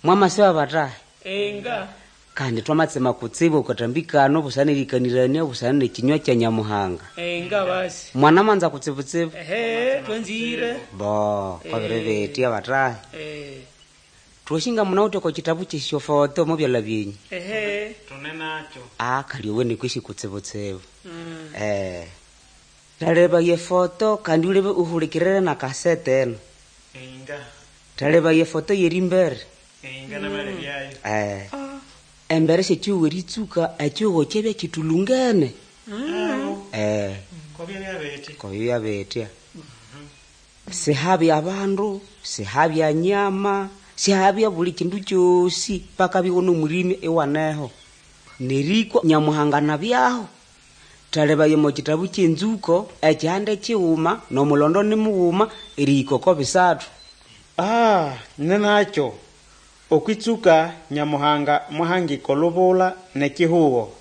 Mwamasiba batahi? Inga. Kandi twamatsema kutsibu okathambi kano busana n'erikanĩranĩa busana n'ekinywa kya Nyamuhanga. Inga basi. Mwanamanza kutsibutsibu? Ehe, twanzire. Bo, kwabiri bitya batahi. Twashinga munawithe oko kitabu ky'esyofoto omo byalha byenyu. Ehe. Tune nakyo. Ah, kali owene kwesi kutsibutsibu. Thaleba yefoto kandi ulebe uhulikirire na kasete eno. Inga. Thaleba yefoto yerimbere. Inga namalebyayo. Embere syekihugo eritsuka ekihugo kyabya kithulungene. Kobya byabete. Kobya byabetya. Sihabya abandu, sihabya nyama, sihabya buli kindu kyosi paka bigho n'omulimi iwaneho. Nerikwa Nyamuhanga nabyaho. Thalebaya omo kitabu ky'enzuko ekihande kighuma n'omulondo ni mughuma erihika oko bisathu. Ah, ninakyo. Okwitsuka Nyamuhanga mwahangika olubula n'ekihugo.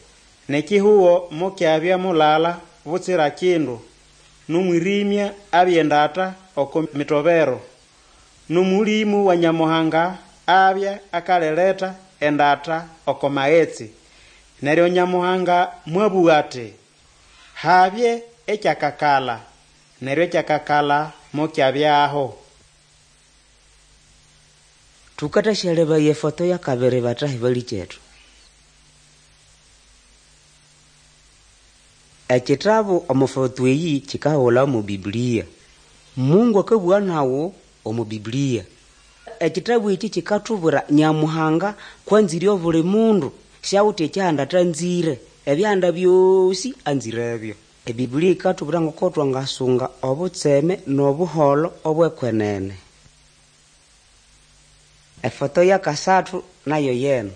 N'ekihugo mukyabya mulala butsira kindu. N'omwirimya abya endata oko mitobero. N'omulimu wa Nyamuhanga abya akaleleta endata oko maghetse. Neryo Nyamuhanga mwabugha ati, habye ekyakakala. Neryo ekyakakala mukyabyaho. Thukathasyahlebaya efoto yakabiri batahi balikethu. Ekitabu omo foto eyi kikahulha omo Biblia. Mungu akabugha nawu omo Biblia. Ekitabu eki kikathubwira Nyamuhanga kwanzire obuli mundu syawithe ekyihanda athanzire. Ebihanda byosi anzirebyo. Ebiblia yikathubwira ngoko twangasunga obutseme n'obuholho obw'ekwenene. Efoto yakasathu nayo yeno.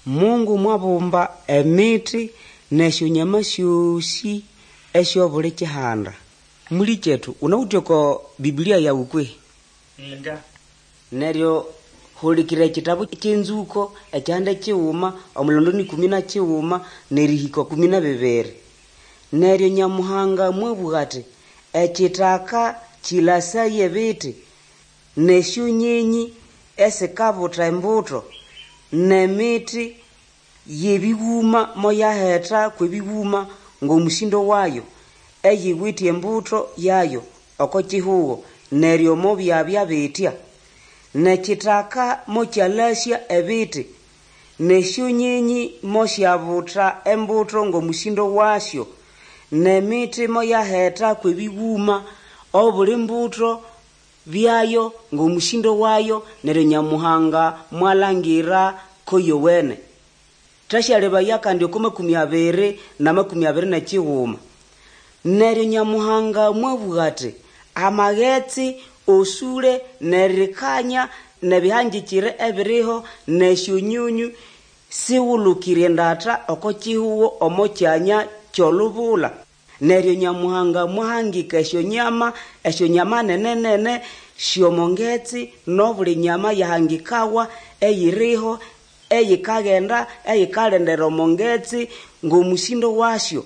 Mungu mwabumba emiti n'esyonyama syosi esyobuli kihanda. Mulikethu unawithe oko Biblia yawu kwehi? Inga. Neryo hulikira ekitabu ky'enzuko ekihande kighuma omulondo ni 11 nerihika 12. Neryo Nyamuhanga mwabugha ati ekithaka kilasaye ebiti n'esyonyenyi esikabutha embuto n'emiti y'ebighuma moyahetha kw'ebighuma ng'omusindo wayo eyiwithe embuto yayo oko kihugo neryo mobyabya bitya. N'ekithaka mokyalasya ebiti n'esyonyenyi mosyabutha embuto ng'omusindo wasyo n'emiti moyahetha kw'ebighuma obuli mbuto byayo ng'omusindo wayo neryo Nyamuhanga mwalangira ko yowene. Thasyalebaya kandi oko 21 na 21. Neryo Nyamuhanga mwabugha ati amaghetse osule n'erikanya n'ebihangikire ebiriho n'esyonyonyo siwulukire endata oko kihugo omo kyanya ky'olubula. Neryo Nyamuhanga mwahangika esyonyama nene-nene sy'omongetse n'obuli nyama yahangikawa eyiriho eyikaghenda eyikalendera omongetse ng'omusindo wasyo.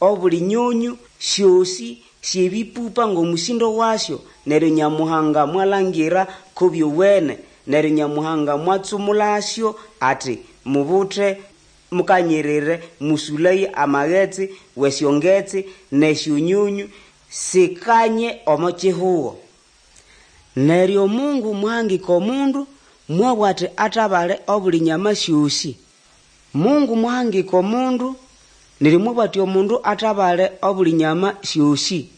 Obuli nyonyo syosi syebipupa ng'omusindo wasyo. Neryo Nyamuhanga mwalangira ko byowene. Neryo Nyamuhanga mwatsumulasyo ati mubuthe mukanyirire musulaye amaghetse w'esyongetse n'esyonyonyo sikanye omo kihugo. Neryo Mungu mwahangika omundu mwabugha ati athabale obuli nyama syosi. Mungu mwahangika omundu neryo mwabugha ati omundu athabale obuli nyama syosi.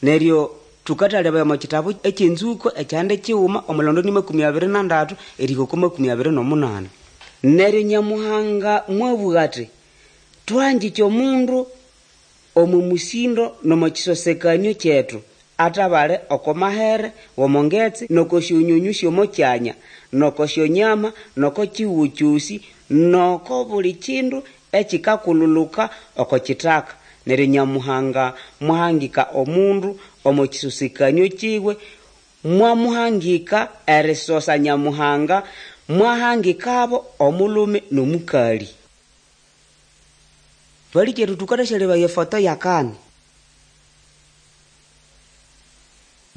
Neryo thukathalebaya omo kitabu eky'enzuko ekihande kighuma omulondo ni 23 erihika oko 28. Neryo Nyamuhanga mwabugha ati thuhangike omundu omo musindo n'omo kisosekanio kyethu athabale oko mahere w'omongetse n'oko syonyonyo sy'omo kyanya n'oko syonyama n'oko kihugo kyosi n'oko buli kindu ekikakululuka oko kithaka. Neryo Nyamuhanga mwahangika omundu omo kisosekanio kiwe, mwamuhangika erisosa Nyamuhanga, mwahangikabo omulhume n'omukali. Balikethu thukathasyahlebaya efoto yakani.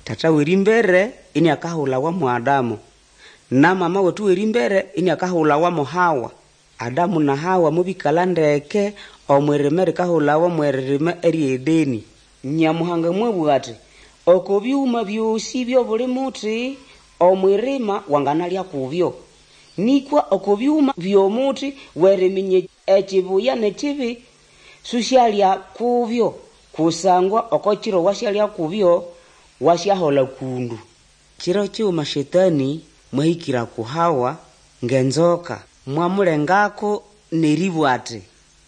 Tata w'erimbere iniakahulawa mwa Adamu na mama wetu w'erimbere iniakahulawa mo Hawa. Adamu na Hawa mobĩkala ndeke omw'irima erikahulawa mw'eririma ery'Edeni. Nyamuhanga mwabũga ati, oko byuma byosi by'obuli muti omw'irima wanganalya kubyo, nĩkwa oko byuma by'omuti w'eriminya ekibuya n'ekibi susyalya kubyo, kusangwa oko kiro wasyalya kubyo wasyahola kundu. Kiro kighuma Shetani mwahĩkĩra ku Hawa ng'enzoka, mwamulengako n'erĩbũga ati,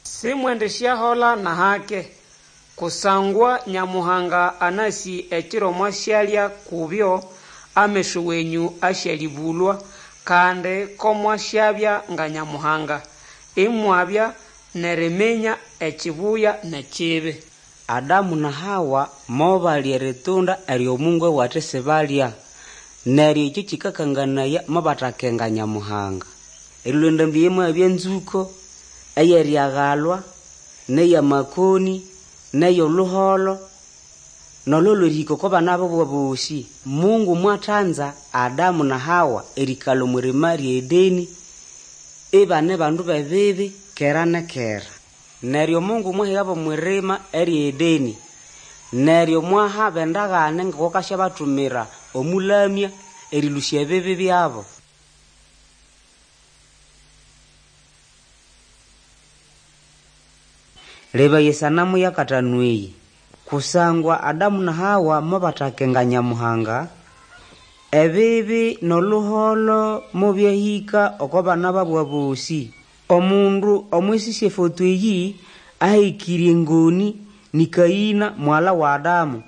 Simwendisyahola n'ahake, kusangwa Nyamuhanga anasi ekiro mwasyalya kubyo ameso wenyũ asyalĩbũlwa, kandi ko mwasyabya nga Nyamuhanga, imwabya n'eriminya ekibuya n'ekibi. Adamu na Hawa mobalya eritunda eryo Mungu abugha ati sibalya, neryo ekyo kikakanganaya mobatakenga Nyamuhanga. Erilwa endambi eyo moyabya enzũko ey'eryagalwa, n'eyamakoni, n'ey'oluholo, n'olhuholo erihika oko bana bubo bosi. Mungu mwathanza Adamu na Hawa erĩĩkalha omw'irima ry'Edeni ibane bandu b'ebibi kera na kera. Neryo Mungu mwahigabo omw'irima ery'Edeni, neryo mwahabo endagane ngoko akasyabathumira Omũlamya erĩlũsya ebibi byabo. Lebaya esanamu y'akatanu eyi. Kusangwa Adamu na Hawa mobatakenga Nyamuhanga, ebibi n'oluholo mobyahĩka oko bana babo abosi. Omundu omwisi sy'efoto eyi ahekĩre engoni ni Kaĩna mughala wa Adamu.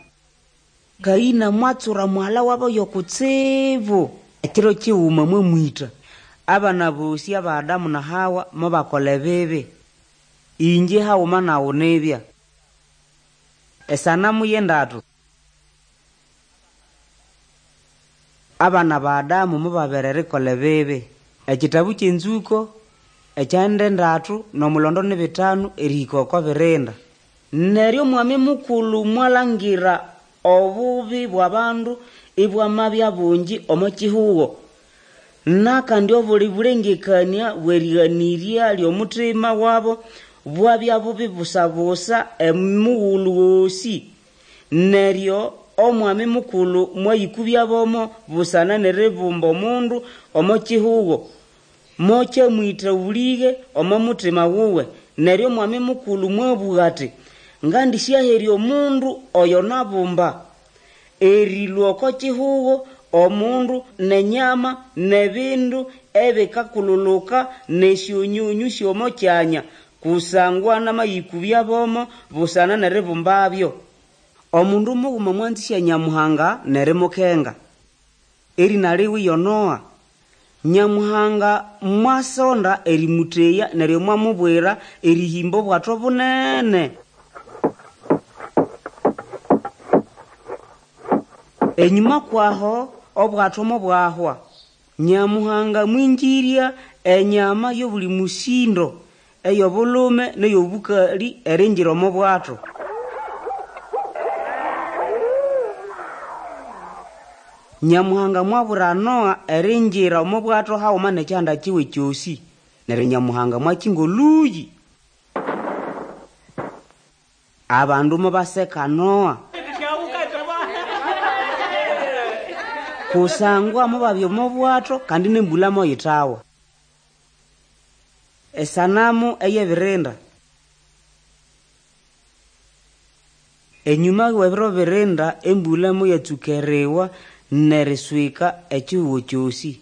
Kaĩna mwatsura mughala wabo yokutsibu, ekiro kighuma mwamwĩta. Abana bosi aba Adamu na Hawa mobakola ebibi. Inje haghuma naghu nibya. Esanamu y'endatu. Abana ba Adamu mobabere erikolha ebibi. Ekitabu ky'Enzuko ekyanda endatu n'omulondo ni bitanu erihika oko birinda. Neryo Omwami Mukulhu mwalangira obubi bw'abandu ibwamabya bungi omo kihugo, n'akandi obuli bulengekania bw'erĩganĩrya ly'omutima wabo bwabya bubi busa-busa omughulhu gosĩ. Neryo Omwami Mukulhu mwayĩkũbya bomo busana n'eribumba omundu omo kihugo, mokyamwĩta obũlĩge omo mutima wuwe. Neryo Omwami Mukulhu mwabũga ati, ngandĩsyaherya omundu oyo nabumba, erĩlũa oko kihugo omundu n'enyama n'ebindu ebikakululuka n'esyonyonyũ sy'omo kyanya, kusangwa namayĩkũbya bomo busana n'eribumbabyo. Omundu mughuma mwanzĩsya Nyamuhanga n'erimukenga. Erĩna liwe yo Noa. Nyamuhanga mwasonda erĩmũteya neryo mwamubwira erĩhĩmba obwato bunene. Enyũma kwaho obwato mobwahwa. Nyamuhanga mwingĩrya enyama y'obuli musindo ey'obulhume n'ey'obũkalĩ eringira omo bwato. Nyamuhanga mwabwira Noa eringira omo bwato haghuma n'ekihanda kiwe kyosi. Neryo Nyamuhanga mwakinga olũyĩ. Abandu mobaseka Noa kusangwa mobabya omo bwato kandi n'embulha moyithawa. Esanamu ey'ebirinda. Enyũma w'ebiro birinda embulha moyatsuka eriwa n'eriswika ekihugo kyosi.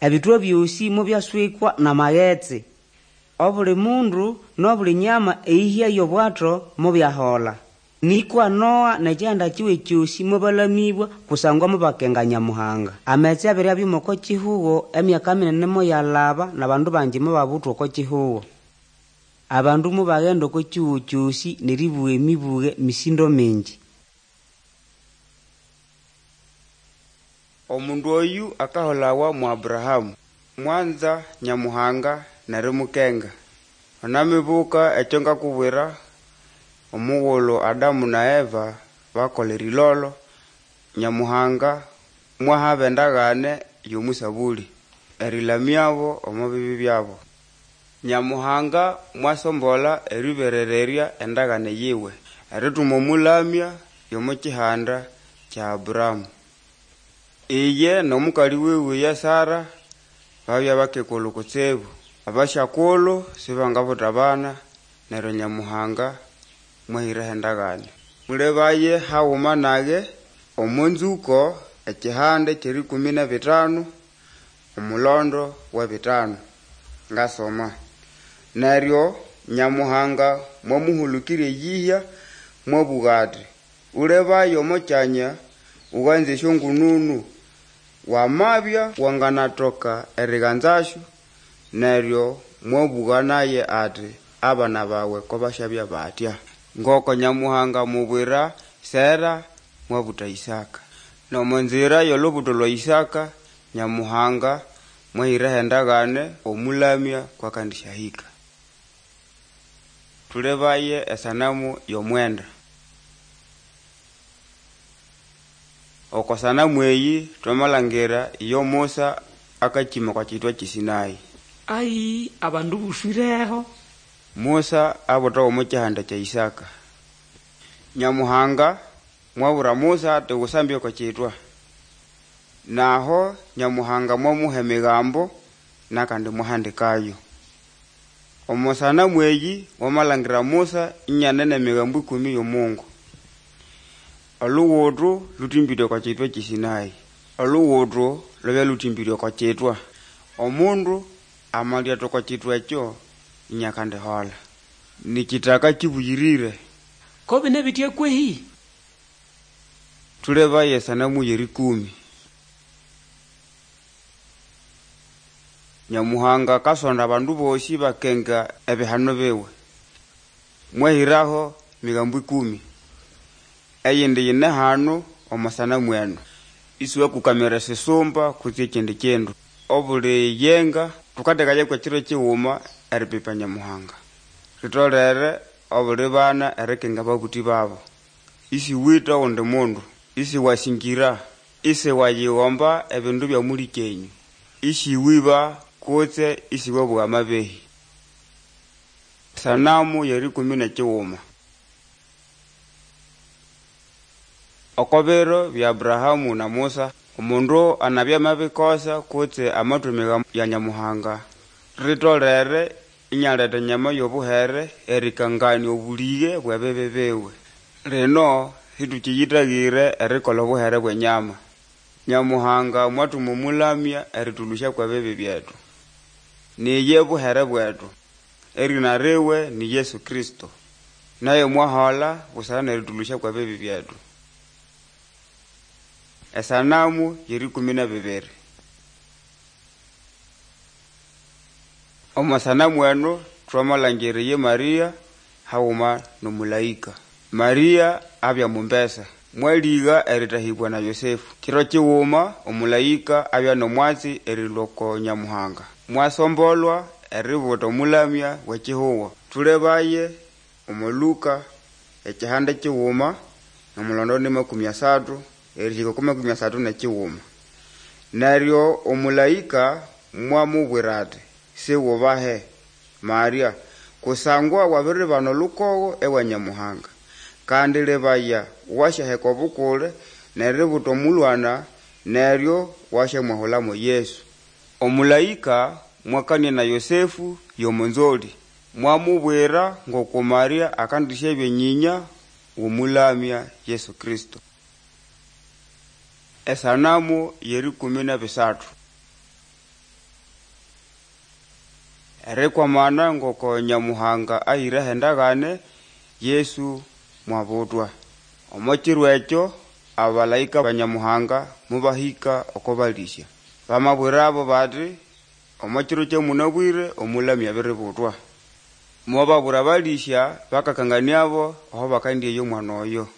Ebithwa byosi mobyaswikwa n'amaghetse. Obuli mundu n'obuli nyama eyihya y'obwato mobyahola. Nĩkwa Noa n'ekihanda kiwe kyosi mobalamĩbwa kusangwa mobakenga Nyamuhanga. Amaghetse abiri abya oko kihugo emyaka minene moyalaba n'abandu bangi mobabutwa oko kihugo. Abandu mobaghenda oko kihugo kyosi n'eribugha emibughe misindo mingi. Omundu oyu akaholawa mu Abrahamu, mwanza Nyamuhanga n'erimukenga. Unamibuka ekyo ngakubwira omughulhu Adamu na Eva bakola erilolo, Nyamuhanga mwahaba endagane y'omusabuli erilamyabo omo bibi byabo. Nyamuhanga mwasombola eriberererya endagane yiwe erituma omulamya y'omo kihanda kya Abrahamu. Iye n'omukali wiwe ye Sara babya bakekulhu kutsibu. Abasyakulhu sibangabuta abana, neryo Nyamuhanga mwahiraho endagane. Mulebaye haghuma nage omo nzuko ekihande ky'erikumi n'ebitanu omulondo w'ebitanu. Ngasoma: Neryo Nyamuhanga mwamuhulukirya eyihya mwabuga ati, ulebaye omo kyanya uganze esyongununu, wamabya wanganatoka eriganzasyo. Neryo mwabuga naye ati, abana bawe ko basyabya batya. Ngoko Nyamuhanga mubwira Sera mwabuta Isaka. N'omo nzira y'olubuto lwa Isaka Nyamuhanga mwahiraho endagane omulamya kw'akandisyahika. Tulebaye esanamu y'omwenda. Oko sanamu eyi twamalhangira iyo Musa akakima okwa kitwa ky'eSinai. Ai abandu buswireho. Musa abutawa omo kyihanda kya Isaka. Nyamuhanga mwabwira Musa ati wusambye oko kitwa. Naho Nyamuhanga mwamuha emigambo nakandi mwahandikayo. Omo sanamu eyi wamalhangira Musa inyane n'emigambo ikumi y'omungu. Oluguthu lutĩmbĩre oko kitwa ky'eSinai. Oluguthu lwabya lutĩmbĩre oko kitwa. Omundu amalyatha oko kitwa ekyo inyakandihola. Ni kitaka kibuyirire. Ko bine bitya kwehi? Tulebaye esanamu y'erikumi. Nyamuhanga akasonda abandu bosi bakenga ebihano biwe. Mwahiraho migambo ikumi. Eyindi yine hanu omo sanamu eno. Isiwakukamira esisumba kutse ekindi kindu. Obuli yenga tukathekayaku ekiro kighuma eripipa Nyamuhanga. Ritolere obuli bana erikenga ababuthi babo. Isiwitha ogundi mundu, isiwasingira, isiwayighomba ebindu bya mulikyenyu, isiwiba kutse isiwabugha amabehi. Sanamu y'erikumi n'ekighuma. Oko biro bya Abrahamu na Musa, omundu anabya amabikosa kutse amathwa emigambo ya Nyamuhanga, ritolere inyaletha enyama y'obuhere erikangania obulighe bw'ebibi biwe. Lino situkiyithaghire erikolha obuhere bw'enyama. Nyamuhanga mwathuma omulamya eritulhusya kw'ebibi byethu. Niye buhere bwethu. Erina riwe ni Yesu Kristo. Naye mwahola busana n'eritulhusya kw'ebibi byethu. Esanamu y'erikumi n'ebibiri. Omo sanamu eno twamalhangira ye Maria haghuma n'omulaika. Maria abya mumbesa, mwaligha eritahibwa na Yosefu. Kiro kighuma omulaika abya n'omwatsi erilhwa oko Nyamuhanga. Mwasombolwa eributa omulamya w'ekihugo. Tulebaye omo Luka ekihanda kighuma omulondo ni makumi asathu erihika oko makumi asathu n'ekighuma. Neryo omulaika mwamubwira ati, siwubahe Maria, kusangwa wabiribana olukogho ewa Nyamuhanga. Kandi lebaya wasyaheka obukule n'eributa omulwana neryo wasyamwahulamo Yesu. Omulaika mwakania na Yosefu y'omunzoli, mwamubwira ngoko Maria akandisyabya nyinya w'omulamya Yesu Kristo. Esanamu y'erikumi n'ebisathu. Erikwamana ngoko Nyamuhanga ahiraho endagane, Yesu mwabutwa. Omo kiro ekyo abalaika ba Nyamuhanga mubahika oko balisya. Bamabwirabo bati omo kiro kyamunabwire omulamya abiributwa. Mobabwira abalisya bakakanganiabo aho bakandyeya omwana oyo.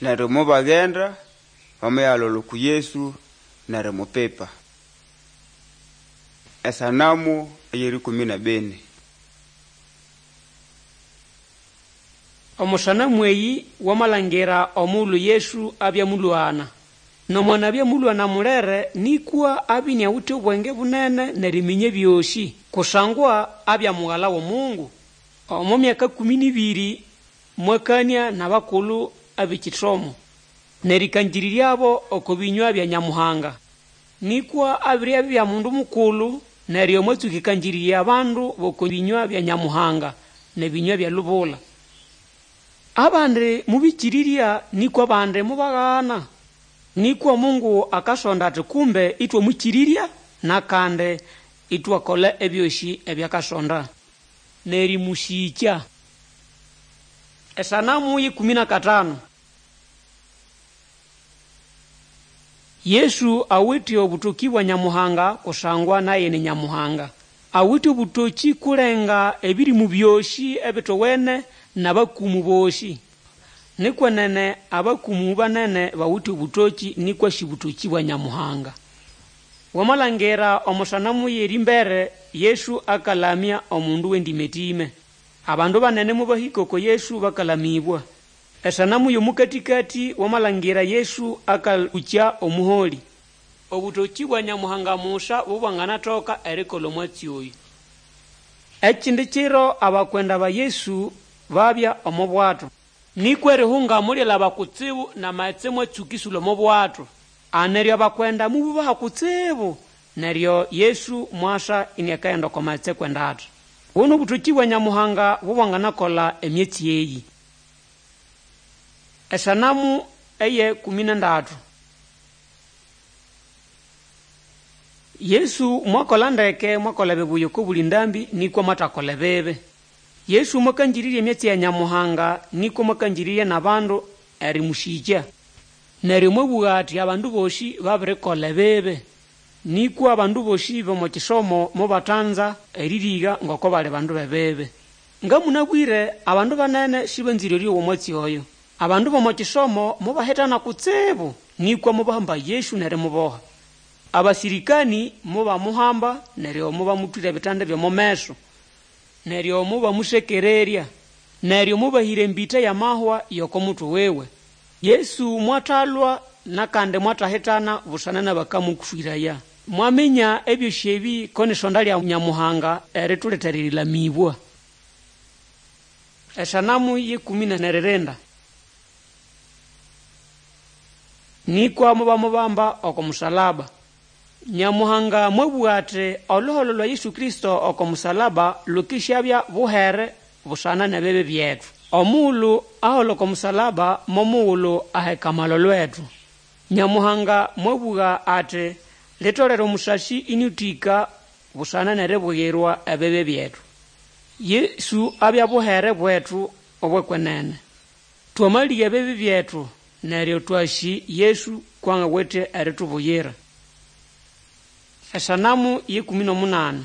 Neryo mobaghenda bamayalolha oku Yesu n'erimupipa. Esanamu ey'erikumi n'ebini. Omo sanamu eyi wamalhangira omughulhu Yesu abya mulhwana. Nomwanabya mũlwana mulere nĩkwa abya iniawite obwenge bunene n'eriminya ebyosĩ, kusangwa abya mugala w'omungu. Omo myaka 12 mwakania n'abakulu ab'ekisomo n'erĩkangĩrĩryabo oko bĩnywa bya Nyamuhanga. Nĩkwa abiribya abya mundu mukulu, neryo mwatsũka erĩkangĩrĩrya abandu b'oko bĩnywa bya Nyamuhanga n'ebĩnywa by'elubula. Abandi mũbĩkĩrĩrya nĩkwa abandi mobagana. Nĩkwa Mungu akasonda ati kumbe ĩtwamwĩkĩrĩrya n'akandi ĩtwakola ebyosĩ ebyakasonda n'erĩmũsĩkya. Esanamu ye 15. Yesu awite obũtokĩ bwa Nyamuhanga kusangwa naye ni Nyamuhanga. Awite obũtokĩ kulenga ebĩrĩmũ byosĩ ebitowene n'abakumu bosĩ. Nikwenene abakumu banene bawite obũtokĩ nĩkwa sĩ bũtokĩ bwa Nyamuhanga. Wamalangira omo sanamu y'erimbere Yesu akalamya omundu w'endĩmetĩme. Abandu banene mobahĩka oko Yesu bakalamĩbwa. Esanamu y'omũkatĩkatĩ wamalangira Yesu akalũkya omuholĩ. Obũtokĩ bwa Nyamuhanga musa bobwanganatoka erikola omwatsi oyo. Ekindi kiro abakwenda ba Yesu babya omo bwato. Nĩkwa erihunga mulyalaba kutsibu n'amaghetse mwatsũka ĩsũlha omo bwato. Aneryo abakwenda mobubaha kutsibu, neryo Yesu mwasa iniakaghenda oko maghetse kwenda ati. Buno obũtokĩ bwa Nyamuhanga bobwanganakola emyatsi eyi. Esanamu eye 13. Yesu mwakola ndeke mwakola ebibuya oko buli ndambi nĩkwa mwathakola ebibi. Yesu mwakangĩrĩrya emyatsi ya Nyamuhanga nĩkwa mwakangĩrĩrya n'abandu erĩmũsĩkya. Neryo mwabũga ati abandu bosĩ babirikola ebibi. Nĩkwa abandu bosĩ b'omo kisomo mobatanza erĩrĩga ngoko bali bandu b'ebibi. Nga mũnabwĩre abandu banene sĩbanzĩre erĩowa omwatsi oyo. Abandu b'omo kisomo mobahitana kutsibu nĩkwa mobahamba Yesu n'erimuboha. Abasĩrĩkanĩ mobamuhamba neryo mobamũthwĩra ebitande by'omo meso. Neryo mobamusekererya. Neryo mobahĩra embĩta y'amahwa y'oko mutwe wiwe. Yesu mwathalwa n'akandi mwatahitana busana n'abakamũswĩraya. Mwaminya ebyosĩ ebĩ ko n'isonda lya Nyamuhanga eritulethera erĩlamĩbwa. Esanamu ye 13. Nĩkwa mobamubamba oko musalaba. Nyamuhanga mwabũga ati oluholo lwa Yesu Kristo oko musalaba lukĩsyabya buhere busana n'ebibi byetu. Omughulhu ahola oko musalaba momughulhu aheka amalolo lwetu. Nyamuhanga mwabũga ati litolere omusasi ĩnĩũtĩka busana n'eribuyirwa ebibi byetu. Yesu abya buhere bwetu obw'ekwenene. Twamalĩga ebibi byetu neryo twasĩ Yesu kwangawithe eritubuyira. Esanamu ye 18.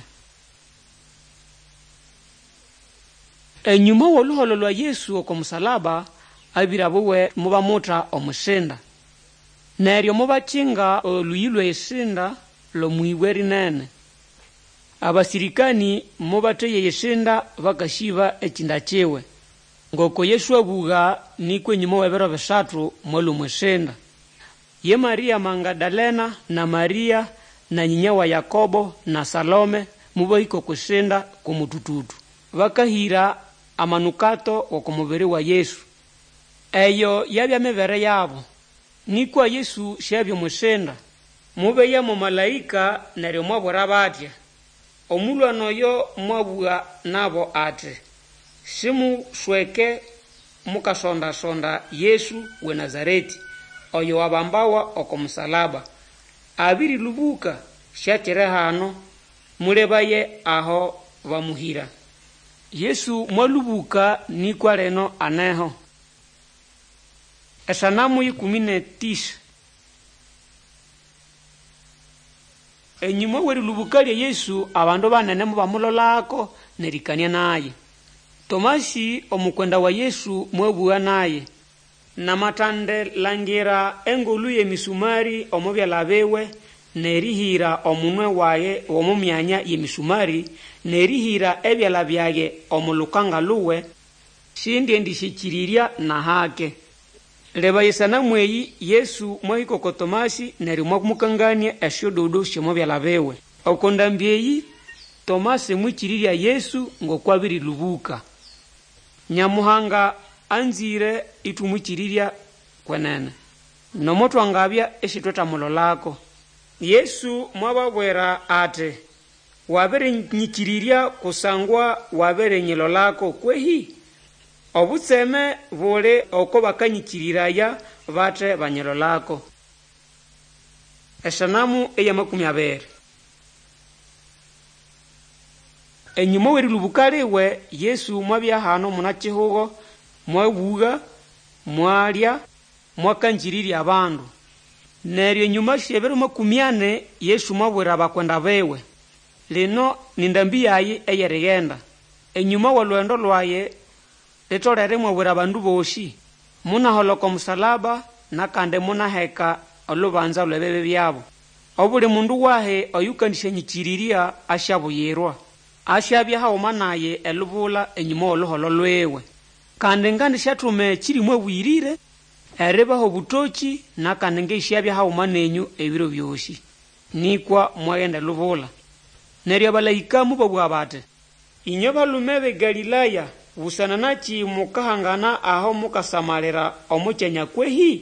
Enyuma w'oluholo lwa Yesu oko musalaba, abĩra buwe mobamutha omwisinda. Neryo mobakinga olhuyi lw'esinda l'omw'ibwe rinene. Abasĩrĩkanĩ mobatheya esinda bakasĩba ekinda kiwe. Ngoko Yesu abũga nĩkwa enyuma w'ebiro bisathu mwalũa omw'isinda. Ye Maria Magadalena na Maria na nyinya wa Yakobo na Salome mobahĩka okw'isinda kw'omũtũtũtũ. Bakahĩra amanukato g'oko mubiri wa Yesu. Eyo yabya mibere yabo. Nĩkwa Yesu syabya omw'isinda. Mobeya mo malaĩka neryo mwabwira batya. Omũlwana oyo mwabũga nabo ati, simusweke mukasonda-sonda Yesu w'eNazaretĩ, oyo wabambawa oko musalaba. Abĩrĩlũbũka, syakiri hano, mulebaye aho bamuhĩra. Yesu mwalũbũka nĩkwa lino aneho. Esanamu ye 19. Enyuma w'erĩlũbũka lya Yesu abandu banene mobamulolako n'erĩkanĩa naye. Tomasi omukwenda wa Yesu mwabũga naye, namatandilangira engulu y'emisumari omo byalha biwe n'erihĩra omunwe wage omo myanya y'emisumari n'erihĩra ebyalha byage omo lukanga luwe, sindyendisyĩkĩrĩrya n'ahake. Leba esanamu eyi Yesu mwahĩka oko Tomasi neryo mwamũkanganĩa esyododo syomo byala biwe. Oko ndambi eyi Tomasi mwĩkĩrĩrya Yesu ngoko abĩrĩlũbũka. Nyamuhanga anzĩre ĩtwamwĩkĩrĩrya kwenene, nomo twangabya isitwetamulolako. Yesu mwababwira ati, Wabirinyĩkĩrĩrya kusangwa wabirinyilolako kwehĩ? Obutseme buli oko bakanyĩkĩrĩraya bate banyilolako. Esanamu eya 20. Enyũma w'erĩlũbũka liwe Yesu mwabya hano muna-kihugo, mwabũga, mwalya, mwakangĩrĩrya abandu. Neryo enyũma sy'ebiro 40 Yesu mwabwira abakwenda biwe, lino ni ndambi yayi ey'erighenda. Enyũma w'olugendo lwaye litolere mwabwira abandu bosĩ, munahola oko musalaba nakandi munaheka olubanza lw'ebibi byabo. Obuli mundu wahi oyũkandĩsyanyĩkĩrĩrya asyabuyirwa, asyabya haguma naye elubula enyũma w'oluholo lwiwe. Kandi ngandisyathuma Ekĩrĩmũ Abũyĩrĩre eribaha obũtokĩ nakandi ngisyabya haguma nenyũ ebiro byosĩ. Nĩkwa mwaghenda elubula. Neryo abalaĩka mobabũga bati, Ĩnywe balume b'eGalĩlaya, busana nakĩ mukahangana aho mukasamalira omo kyanya kwehĩ?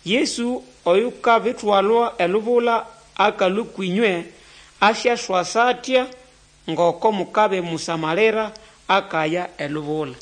Yesu oyukabitwalwa elubula akalũa kwĩnywe asyaswasa atya ngoko mukabimusamalira akaya elubula.